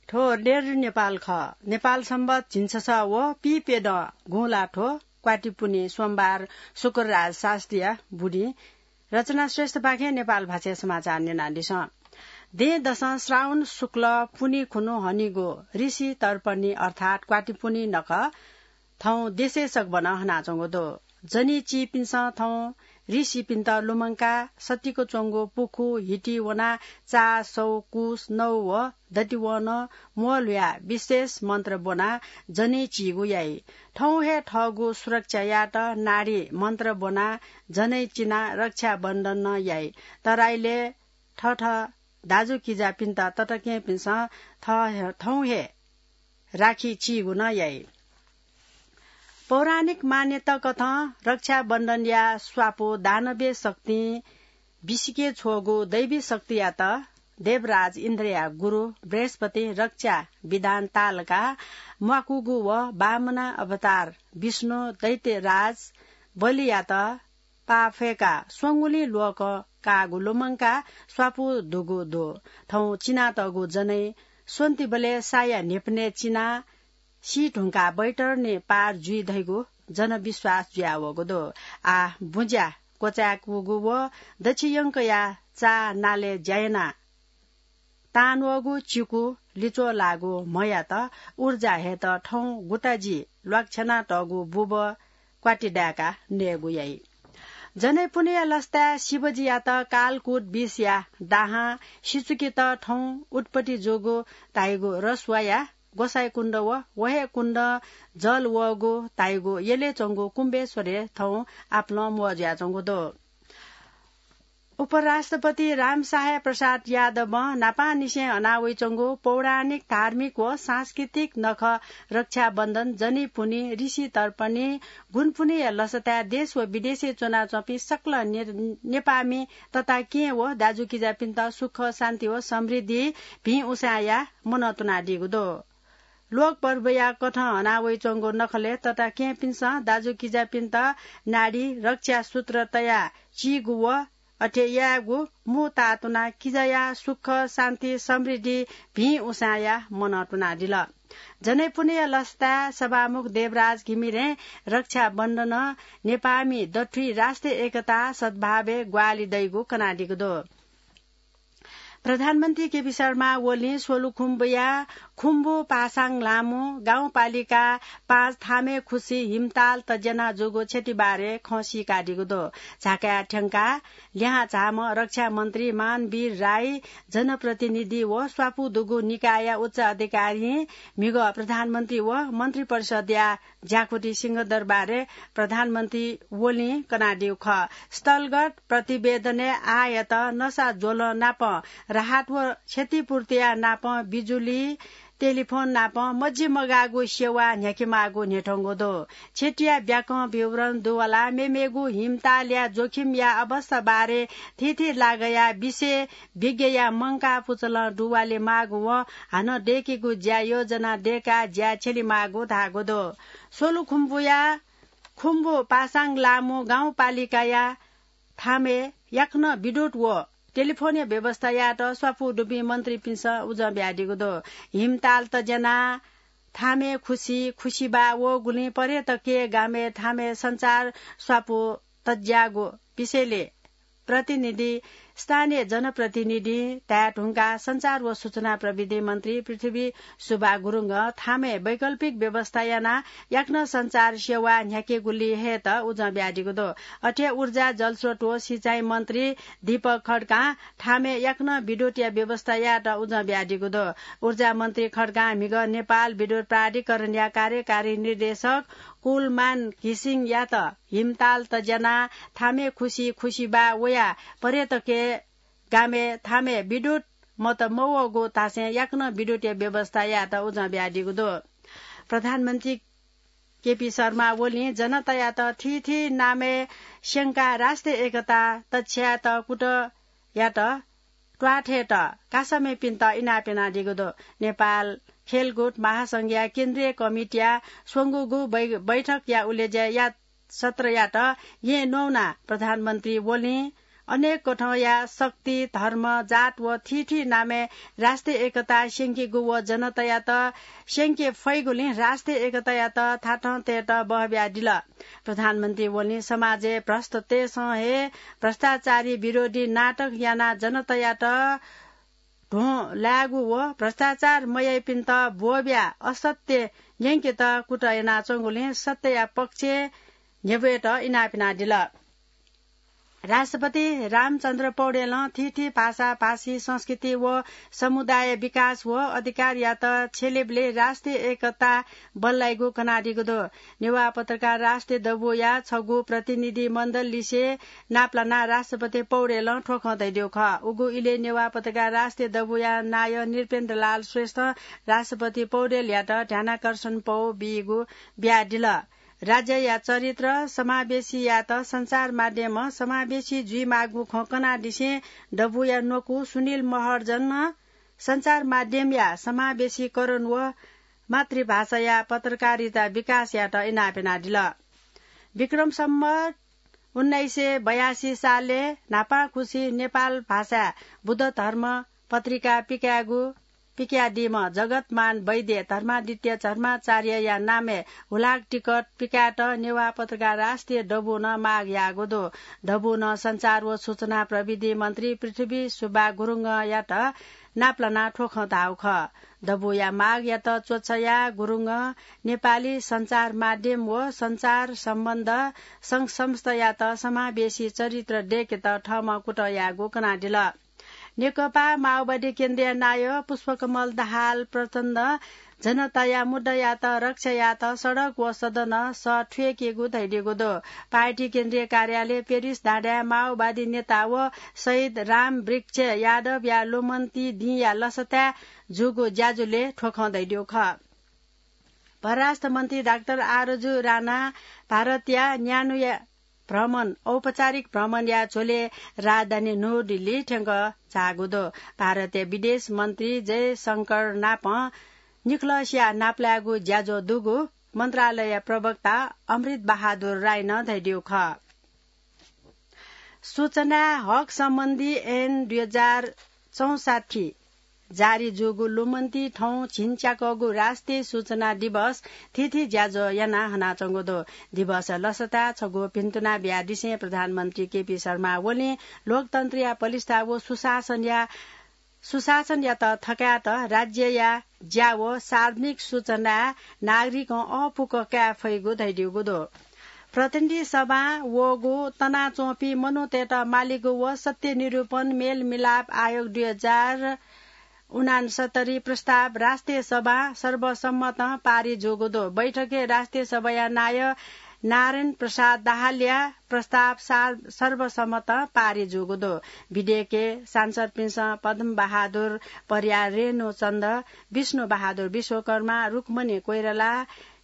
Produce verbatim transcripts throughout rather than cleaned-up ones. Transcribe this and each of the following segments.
थ्व रेडियो नेपाल खः। नेपाल संवत झिंछसः व पीप्यदँ गुँला थ्व क्वातिपुन्हि सोमबार शुक्रराज शास्त्रीया बुदिं। रचना श्रेष्ठपाखें नेपाल भाषाय् समाचार न्यनादिसँ। दँय् दसं श्रावण शुक्ल पुन्हि खुन्हु हनीगु ऋषि तर्पणी अर्थात् क्वातिपुन्हि नखः थौं देशय् सकभनं हनाच्वंगु दु। जनी चीपिन्सं थौं ऋषिपिन्त लुमंकाः सतिक च्वंगु पुखू हिति वनाः चाः, सौ, कुस, नौ व दतिवनं म्वःल्हुयाः विशेष मन्त्र ब्वनाः जनी चीगु याइ। थौं हे थःगु सुरक्षा यायेत नाडी मन्त्र ब्वनाः जनै चिनाः रक्षाबन्धन नं याइ। तराईलय् थःथः दाजुकिजापिन्त तताकेहेँपिन्सं थः-, थौं हे राखी चीगु नं याइ। पौराणिक मान्यता कथं रक्षाबन्धनया स्वापू दानवीय शक्तिं बिसिके छ्वःगु दैवी शक्तियात देवराज इन्द्रया गुरु बृहस्पतिं रक्षा विधान तालकाः म्वाकूगु व वामना अवतार विष्णु दैत्यराज बलियात पाफय्काः स्वंगुलिं ल्वःकं काःगु लुमंकाः स्वापू दुगु दु। थौं चिनातःगु जनै स्वन्तिबलय् साया न्हिपनय् चिनाः सी धुंकाः बैतरणी पार जुइ धइगु जनविश्वास जुयावःगु दु। आः बुँज्या क्वचाय्कूगु व दच्छियंकया चाः नालय् ज्या यानाः तांन्वःगु चिकु लिच्वः लाःगु म्हयात ऊर्जा हयेत थौं गुताजि ल्वाकछ्यानातःगु बुबः क्वाति दाय्काः नयेगु याइ। जनैपुन्हिया लसताय् शिवजीयात कालकूट विषया दाहां सिचुकेत थौं उत्पत्ति जूगु धाइगु रसुवाया गोसाइँकुण्ड व व हे कुण्डं जल वःगु धाइगु यलय् च्वंगु कुम्बेश्वरय् थौं आपालं म्वः जुयाच्वंगु दु। उपराष्ट्रपति रामसहाय प्रसाद यादवं न्हापांनिसें हनावइच्वंगु पौराणिक, धार्मिक व सांस्कृतिक नखः रक्षाबन्धन, जनी पुन्हि, ऋषि तर्पणी, गुँपुन्हिया लसताय् देश व विदेशय् च्वनाच्वंपिं सकल ने-, नेपाःमि तताकेहेँ व दाजुकिजापिन्त सुख, शान्ति व समृद्धि भिं उसाँय्या मनंतुनादीगु दु। लोक पर्वया कथं हनावइच्वंगु नखलय् तताकेहेँपिन्सं दाजुकिजापिन्त नाडी रक्षा सूत्र तयाः चीगु व अथे यायेगु मू ताःतुनाः किजाया सुख, शान्ति, समृद्धि भिं उसाँय्या मनंतुनादिल। जनैपुन्हिया लसताय् सभामुख देवराज घिमिरें रक्षाबन्धनं नेपाःमि दथुइ राष्ट्रिय एकता, सद्भावय् ग्वाहालि दइगु कनादीगु दु। प्रधानमन्त्री केपी शर्मा ओलीं स्वलुखुम्बुया खुम्बु पासाङ लामु गाउँपालिका पाँच थामे खुसी हिमताल तज्यानाः जूगु क्षतिबारे खँ सीकादीगु दु। झाकाय् थ्यंकाः लिहां झाःम्ह रक्षा मन्त्री मानवीर राई, जनप्रतिनिधि व स्वापू दुगु निकायया उच्च अधिकारीं म्हिगः प्रधानमन्त्री व मन्त्रिपरिषदया ज्याकुथि सिंहदरबारय् प्रधानमन्त्री ओलीं कनादीगु खः। स्थलगत प्रतिवेदनय् आःयात नसा ज्वलं नापं राहत व क्षतिपूर्तिया नापं बिजुली, टेलिफोन नापं मजिमगाःगु सेवा न्ह्याकेमाःगु न्ह्यथंगु दु। क्षतिया ब्याकं विवरण दुवालाः मेमेगु हिमतालया जोखिमया अवस्थाबारे थीथी लागःया विषय विज्ञया मंकाः पुचलं दुवाले माःगु व हानं दय्केगु ज्या योजना दय्काः ज्या छ्यलेमाःगु धाःगु दु। स्वलुखुम्बुया खुम्बु पासाङ लामु गाउँपालिकाया थामय् याकनं विद्युत व टेलिफोनया व्यवस्था यायेत स्वापू दुपिं मन्त्रीपिन्सं उजं बियादीगु दु। हिमताल तज्यानाः थामय् खुसी, खुसिबा वःगुलिं पर्यटकीय गामय् थामय् सञ्चार स्वापू तज्याःगु विषयले प्रतिनिधि, स्थानीय जनप्रतिनिधिं धाये धुंकाः सञ्चार व सूचना प्रविधि मन्त्री पृथ्वी सुब्बा गुरुङं थामय् वैकल्पिक व्यवस्था यानाः याकनं सञ्चार सेवा न्ह्याकेगुली हयेत उजं बियादीगु दु। अथे ऊर्जा, जलस्रोत व सिँचाइ मन्त्री दीपक खड्कां थामय् याकनं विद्युतया व्यवस्था यायेत उजं बियादीगु दु। ऊर्जा मन्त्री खड्कां म्हिगः नेपाल विद्युत प्राधिकरणया कार्यकारी निर्देशक कुलमान घिसिङयात हिमताल तज्यानाः थामय् खुसी, खुसिबा वयाः पर्यटकीय गामय् थामय् विद्युत मत मवःगु धासें याकनं विद्युतया व्यवस्था यायेत उजं बियादीगु दु। प्रधानमन्त्री केपी शर्मा ओलीं जनतायात थीथी नामय् स्यंकाः राष्ट्रिय एकता तछ्यायेत कुतः यात त्वाथय्त कासामिपिन्त इनाप यानादीगु दु। नेपाल खेलकुद महासंघया केन्द्रीय कमिटीया स्वंगूगु बै-, बैठकया उलेज्या सत्रयात येँ न्ववानाः प्रधानमन्त्री ओलीं अनेक कथंया शक्ति, धर्म, जात व थीथी नामय् राष्ट्रिय एकता स्यंकीगु व जनतायात स्यंके फइगुलिं राष्ट्रिय एकतायात थातं तयेत बहबियादिल। प्रधानमन्त्री ओलीं समाजय् भ्रष्टतय्सं हे भ्रष्टाचारी विरोधी नाटक यानाः जनतायात ध्वं लायेगु व भ्रष्टाचार मयाइपिन्त ब्वःबियाः असत्य न्यंकेत कुतः यानाच्वंगुलिं सत्यया पक्षय् न्ह्यब्वयेत इनाप यानादिल। राष्ट्रपति रामचन्द्र पौडेलं थीथी भाषा, भाषी, संस्कृति व समुदाय विकास व अधिकारयात छ्यलेबलय् राष्ट्रिय एकता बल्लाइगु कनादीगु दु। नेवाः पत्रकार राष्ट्रिय दबूया छगू प्रतिनिधि मण्डल लिसे नापलानाः राष्ट्रपति पौडेलं थ्व खँ धयादीगु खः। उगु इलय् नेवाः पत्रकार राष्ट्रिय दबूया नायः नृपेन्द्रलाल श्रेष्ठं राष्ट्रपति पौडेलयात ध्यानाकर्षण पौ बीगु बियादिल। राज्यया चरित्र समावेशीयात सञ्चार माध्यमं समावेशी जुइमाःगु खँ कनादिसें दबूया न्वकू सुनिल महर्जनं सञ्चार माध्यमया समावेशीकरण व मातृभाषाया पत्रकारिता विकासयात इनाप यानादिल। विक्रम सम्वत उन्नाइस सय बयासी सालय् न्हापांखुसी नेपाल भाषाय् बुद्ध धर्म पत्रिका पिकायेगु पिकयादीम्ह जगतमान वैद्य धर्मादित्य धर्माचार्यया नामय् हुलाक टिकट पिकायेत नेवाः पत्रकार राष्ट्रिय दबूनं माग याःगु दु। दबूनं सञ्चार व सूचना प्रविधि मन्त्री पृथ्वी सुब्बा गुरुङयात नापलानाः थ्व खँ धाःगु खः। दबूया मागयात च्वछायाः गुरुङं नेपाली सञ्चार माध्यम व सञ्चार सम्बन्ध संघ संस्थायात समावेशी चरित्र दय्केत थःम्हं कुतः याःगु कनादिल। नेकपा माओवादी केन्द्रीय नायः पुष्पकमल दाहाल प्रचण्डं जनताया मुद्दायात रक्षा यायेत सडक व सदनं सः थुइकेगु धयादीगु दु। पार्टी केन्द्रीय कार्यालय पेरिस डाँडाय् माओवादी नेता व शहीद रामवृक्ष यादवया लुमन्ति दिंया लसताय् जूगु ज्याझ्वलय् थ्व खँ धयादीगु खः। परराष्ट्र मन्त्री डाक्टर आरजु राना भारतया न्यान्हुया भ्रमण, औपचारिक भ्रमणया झ्वलय् राजधानी न्यू दिल्ली थ्यंक झाःगु दु। भारतया विदेश मन्त्री जयशंकर नापं निखलसया नापलायेगु ज्याझ्वः दुगु मन्त्रालयया प्रवक्ता अमृत बहादुर राईनं धयादीगु खः। सूचना हक सम्बन्धी ऐन दुई हजार चौसट्ठी जारी जूगु लुमन्ति थौं झिंच्याकःगु राष्ट्रिय सूचना दिवस थीथी ज्याझ्वः यानाः हनाच्वंगु दु। दिवसया लसताय् छगू भिन्तुना बियादिसें प्रधानमन्त्री केपी शर्मा ओलीं लोकतन्त्रया पलिस्था व सुशासनया सुशासनयात थकायेत राज्यया ज्या व सार्वजनिक सूचनाय् नागरिकं अःपुक काये फइगु धयादीगु दु। प्रतिनिधि सभां वःगु तनाच्वंपिं मनूतय्त मालीगु व सत्य निरूपण मेलमिलाप आयोग दुई हजार उनासत्तरी प्रस्ताव राष्ट्रिय सभां सर्वसम्मतं पारित जूगु दु। बैठकय् राष्ट्रिय सभाया नायः नारायण प्रसाद दाहालया प्रस्ताव सार-, सर्वसम्मतं पारित जूगु दु। विधेयकय् सांसदपिन्सं पद्म बहादुर परियार, रेणु चन्द, विष्णु बहादुर विश्वकर्मा, रुक्मणी कोइराला,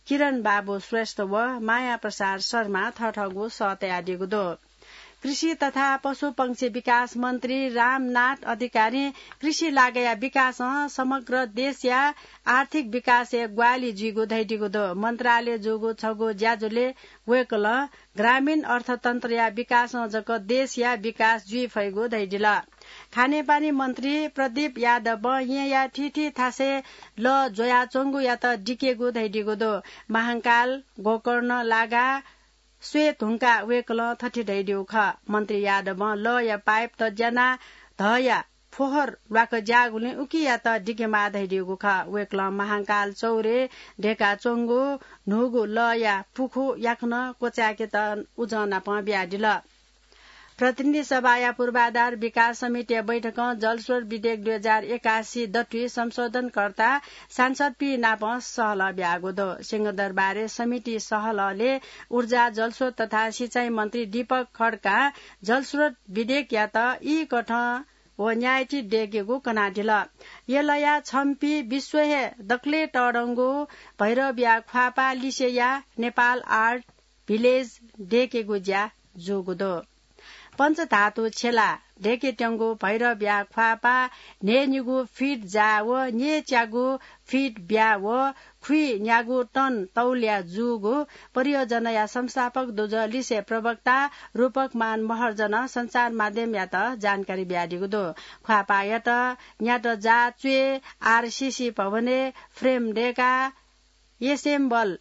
किरण बाबु श्रेष्ठ व माया प्रसाद शर्मा थःथःगु सः तयादीगु दु। कृषि तथा पशुपंक्षी विकास मन्त्री रामनाथ अधिकारीं कृषि लागया विकासं समग्र देशया आर्थिक विकासय् ग्वाहालि जुइगु धयादीगु दु। मन्त्रालयय् जूगु छगू ज्याझ्वलय् वय्कलं ग्रामीण अर्थतन्त्रया विकासं जक देशया विकास जुइ फइगु धयादिल। खानेपानी मन्त्री प्रदीप यादवं येँया थीथी थासय् लः ज्वयाच्वंगुयात दिकेगु धयादीगु दु। महांकाल, गोकर्ण लागा स्वये धुंकाः वय्कलं थथे धयादीगु खः। मन्त्री यादवं लःया पाइप तज्यानाः धःया फोहर ल्वाकज्याःगुलिं उकियात दिकेमाः धयादीगु खः। वय्कलं महांकाल चौरय् दय्काच्वंगु न्हूगु लःया पुखू याकनं क्वचाय्केत उजं नापं बियादिल। प्रतिनिधि सभाया पूर्वाधार विकास समितिया बैठकं जलस्रोत विधेयक दुई हजार एकासी दथुइ संशोधनकर्ता सांसदपिं नाप सहलह ब्याःगु दु। सिंहदरबारय् समिति सहलहलय् ऊर्जा, जलस्रोत तथा सिँचाइ मन्त्री दीपक खड्कां जलस्रोत विधेयकयात ई कथं व न्यायति दय्केगु कनादिल। यलया छम्पी विश्व हे दकलय् तःधंगु भैरवया ख्वाःपाः लिसेया नेपाल आर्ट भिलेज दय्केगु ज्या जूगु दु। पञ्चधातु छेला दय्केत्यंगु भैरवया ख्वाःपाः न्हय्निगू फिट जाः व न्यय्च्यागू फिट ब्याः व खुइन्यागू टन तौलया जूगु परियोजनाया संस्थापक दुजः लिसें प्रवक्ता रूपकमान महर्जनं सञ्चार माध्यमयात जानकारी बियादीगु दु। ख्वाःपाःयात न्यात जाः च्वय् आरसीसी भवनय् फ्रेम दय्काः एसेम्बल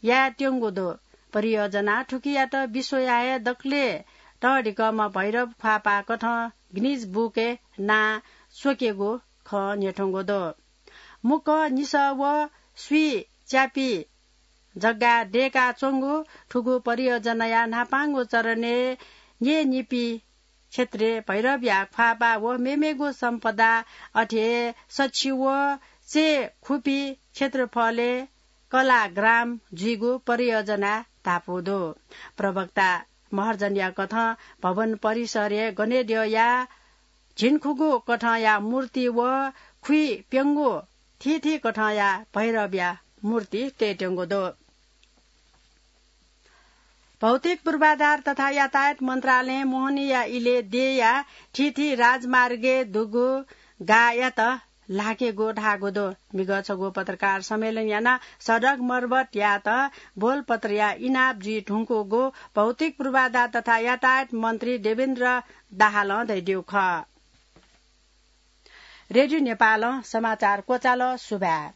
यायेत्यंगु दु। परियोजना थुकियात विश्वया हे दकलय् तःधिकःम्ह भैरव ख्वाःपाः कथं गिनिज बुकय् नां स्वकेगु खँ न्ह्यथंगु दु। मुक्कं निसः व स्वीच्यापी जग्गाय् दय्काच्वंगु थुगु परियोजनाया न्हापांगु चरणय् न्यय्निपी क्षेत्रय् भैरवया ख्वाःपाः व मेमेगु सम्पदा अथे हे सछि व चय् खुपी क्षेत्रफलय् कलाग्राम जुइगु परियोजनाय् धापू दु। प्रवक्ता महर्जनया कथं भवन परिसरय् गनेद्यःया झिंखुगू कथंया मूर्ति व खुइप्यंगू थीथी कथंया भैरवया मूर्ति तयेत्यंगु दु। भौतिक पूर्वाधार तथा यातायात मन्त्रालयं मोहनीया इलय् देय्या थीथी राजमार्गय् दुगु गाःयात ल्हाकेगु धाःगु दु। मिगः छगू पत्रकार सम्मेलन यानाः सडक मर्मत यायेत बोलपत्रया इनाप जुइ धुंकूगु भौतिक पूर्वाधार तथा यातायात मन्त्री देवेन्द्र दाहालं धयादीगु खः। रेडियो नेपालं समाचार क्वचाल। सुभाय्।